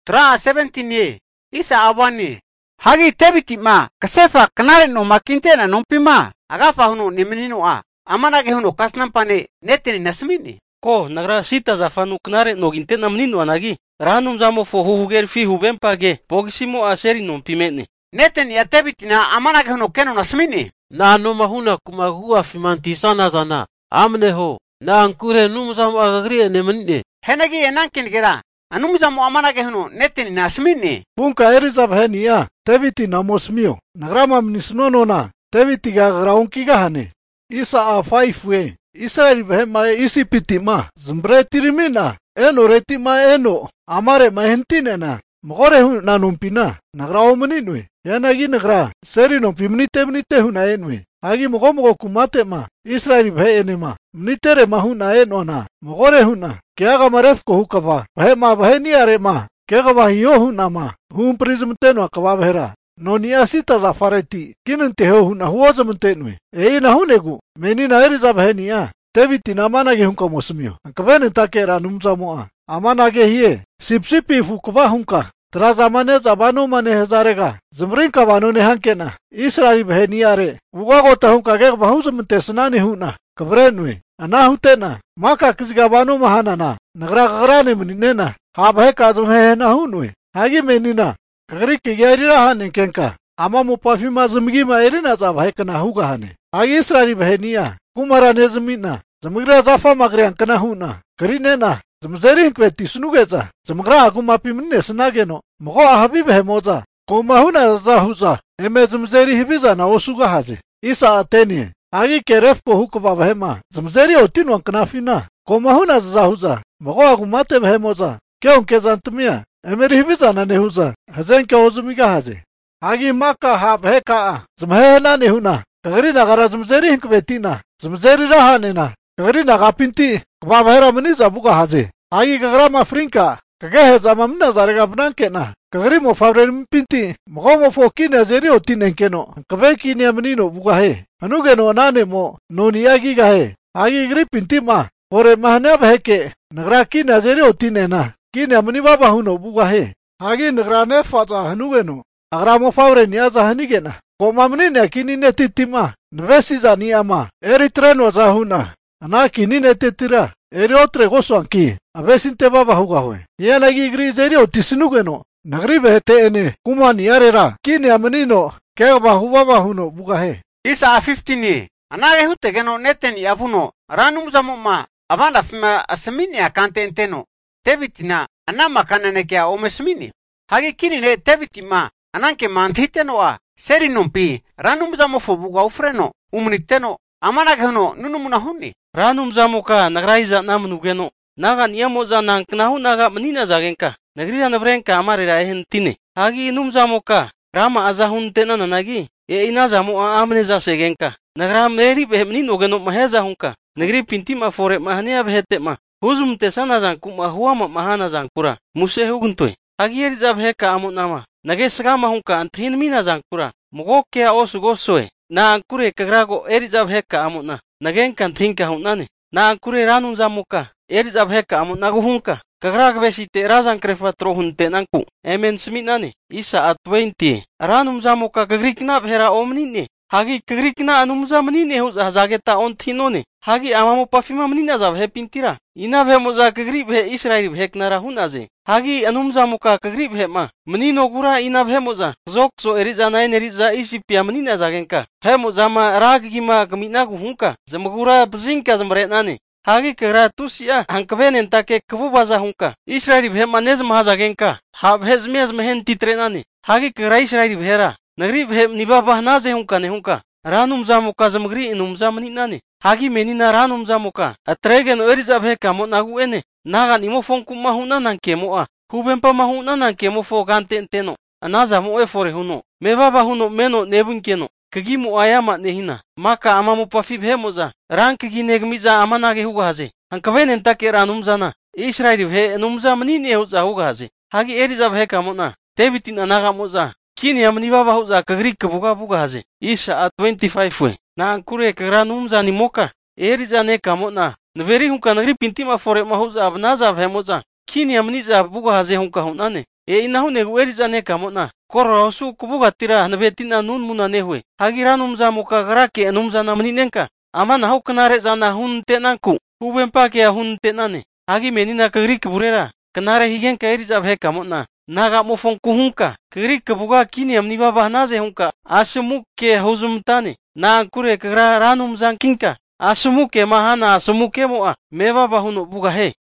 Tra 17 ye. Isa awani. Hagi tebiti ma. Kasefa kanare no makintena nompima. Agafa huno nimenino a. Amanage huno kasnampane neteni nasmini. Ko nagra sita za fanu knare no gintena menino anagi. Ranum zamo fo huger fi hubempage. Pogisimo a seri nompimene. Neteni ya tebitina amanage huno keno nasmini. Na no mahuna kumagua fimanti sana zana. Amne ho. Na ankure numzamo agagri ne menine. Henagi enankin gira. Anumzamo amanage huno neteni nasmini. Punka erizab henia. Tebiti namosmio. Nagrama mnisnono na. Tebiti gagraunki gahane. Isa a 5 we. Isa ribhema isi pitima. Zmbre tirimina. Eno retima eno. Amare mahentine na. Mogore hu na numpina. Nagrao meninwe. Yanagi nagra. Seri nompi mnite huna enwe. Agi mogo kumate ma. Israeli bhe enema. Mnitere mahuna eno na. Mogore huna. Kiaga maref ko hukava. Bhe ma bhe niare ma. Kiaga bahio huna ma. Hum prismteno akava bhera. No ni asita za fareti. Kinente ho huna huoza mtenwe. Na hunegu. Menina eriza bhe niya. Tebiti na amanage hunka mosmio. Ankavene takera numza moa. Amanage hiye. Sipsipi fukva hunka. Trazamane zabano mane hezarega. Zmrin kavano ne hankena. Israeli bhe niare. Ugago tahunka gek bahuz mtesnani huna. Kavrenwe. Ana hutena. Maka kisgabano mahanana. Nagra gagrane meninena. Habhe kazum he na hunwe. Hagi menina. Kagri kiyarira hane kenka. Ama mupafima zmgi ma erina zabhe kana huga hane. Hagi Israeli bhe niya. Kumara ne zmina. Zmgra zafa magre ankana huna. Karinena. Zmzeri kweti sunugeza. Zmgra akumapi minne snageno. Mogo ahabib he moza. Koma huna zahuza. Eme zmzeri hibiza na osuga haze. Isa atenie. Agi keref ko hukba bahema. Zmzeri otinu anknafina. Koma huna zahuza. Mogo akumate behemoza. Keon kezantumia. Emeri hibiza na nehuza. Hazen ke ozumiga haze. Agi maka habheka. Zmhela nehuna. Kagri nagara zmzeri hinkwetina. Zmzeri rahanena. Kagri nagapinti. Kubabahera meniza buga haze. Agi kagra mafrinka. Kagahe zamamna zarega bnankena. Kagri mo favrem pinti. Mogo mo fokine zeri otinenkeno. Kabeki niamenino buga he. Anugeno nane mo. Noni agi gahe. Agi gri pinti ma. Ore mahane baheke. Nagra kine zeri otinena. Kine ameni baba huno buga he. Agi nagra ne faza hanugeno. Agra mo favre ni aza hanigena. Koma menine kini ne titima. Nvesi za ni ama. Eritreno za huna. Ana kini ne titira. Eri otre goso anki. Avesinte baba huga hoe. Yanagi gri zeri otisinugeno. Nagri behete ene. Kuma ni arera. Kini amenino. Kega baba huno buga he. Isa 15 ye. Anage hutegeno neteni avuno. Ranumzamo ma. Avanda fima asemini akante enteno. Tevitina. Anama kananekea omesmini. Hagi kini ne tevitima. Ananke mantiteno a. Seri nompi. Ranumzamo fo buga ufreno. Umniteno. Amanage huno nunumuna huni. Ranum zamuka nagraiza namnugeno. Naga niyamoza nanknahu naga menina zagenka. Nagrira nabrenka amare rahen tine. Hagi num zamuka. Rama azahun tena nanagi. Ina zamu amne za segenka. Nagra meri be menino geno maheza hunka. Nagri pintima fore mahania behete ma. Huzum tesana zankuma huama mahana zankura. Muse huguntoy. Hagi eri zabheka amunama. Nage sagama hunka anthin mina zankura. Mogoke osu gosoe. Na ankure kagrago eri zabheka amuna. Nagen kan thinka hunane. Na ankure ranum zamuka. Eri zabheka amuna guhunka. Kagrag besite razan krefa trohunte nanku. Emen sminane. Isa at 20. Ranum zamuka kagrikna bhera omnine. Hagi kagrikna anum zamnine huza zageta on thinone. Hagi amamo pafima menina zabhe pintira. Ina bhe moza kagrib he Israeli bheknara hunaze. Hagi anum zamuka kagrib he ma. Menino gura ina bhe moza. Zokso eriza nain eriza isipia menina zagenka. He moza ma ragima kamina guhunka. Zamagura bzinka zamretnane. Hagi kagra tusia hankvenen take kvubaza hunka. Israeli bhe manez mahazagenka. Hab hezmez mehen titrenane. Hagi kagra Israeli bhera. Nagri bhe nibaba naze hunka ne hunka. Ranum zamuka zamgri inum zamninane. Hagi menina ranum zamuka. Atregen eriza bhe kamo nagu ene. Nagan imo fonku mahuna nan kemoa. Hubempa mahuna nan kemo fo gantenteno. Anaza mo efore huno. Mebaba huno meno nebunkeno. Kagimu ayama nehina. Maka amamu pafib hemoza. Rankigi negmiza amanage huga haze. Hankavenen take ranum zana. Israeli bhe numza manine huza huga haze. Hagi eriza bhe kamona. Tevitin anaga moza. Kini amni baba huza kagri kabuga buga haze. Isa at 25 we. Na ankure kagra numza ni moka. Eriza ne kamona. Nveri hunka nagri pintima fore mahuza abnaza bhe moza. Kini amni za buga haze hunka hunane. inahu negu erizane kamotna. Koro su kubugatira nabetina nun muna nehwe. Hagira numza muka garake numza na maninenka. Amana hau kenare zana hun tenanku. Huben pake hun tenane. Hagi menina kagri keburera. Kenare higen ka erizab he kamotna. Naga mofong kuhunka. Kagri kebuga kini amni baba naze hunka. Asumuk ke hozumtane. Na kure kagra ranum zangkinka. Asumuke mahana asumuke moa. Me baba hunu buga he.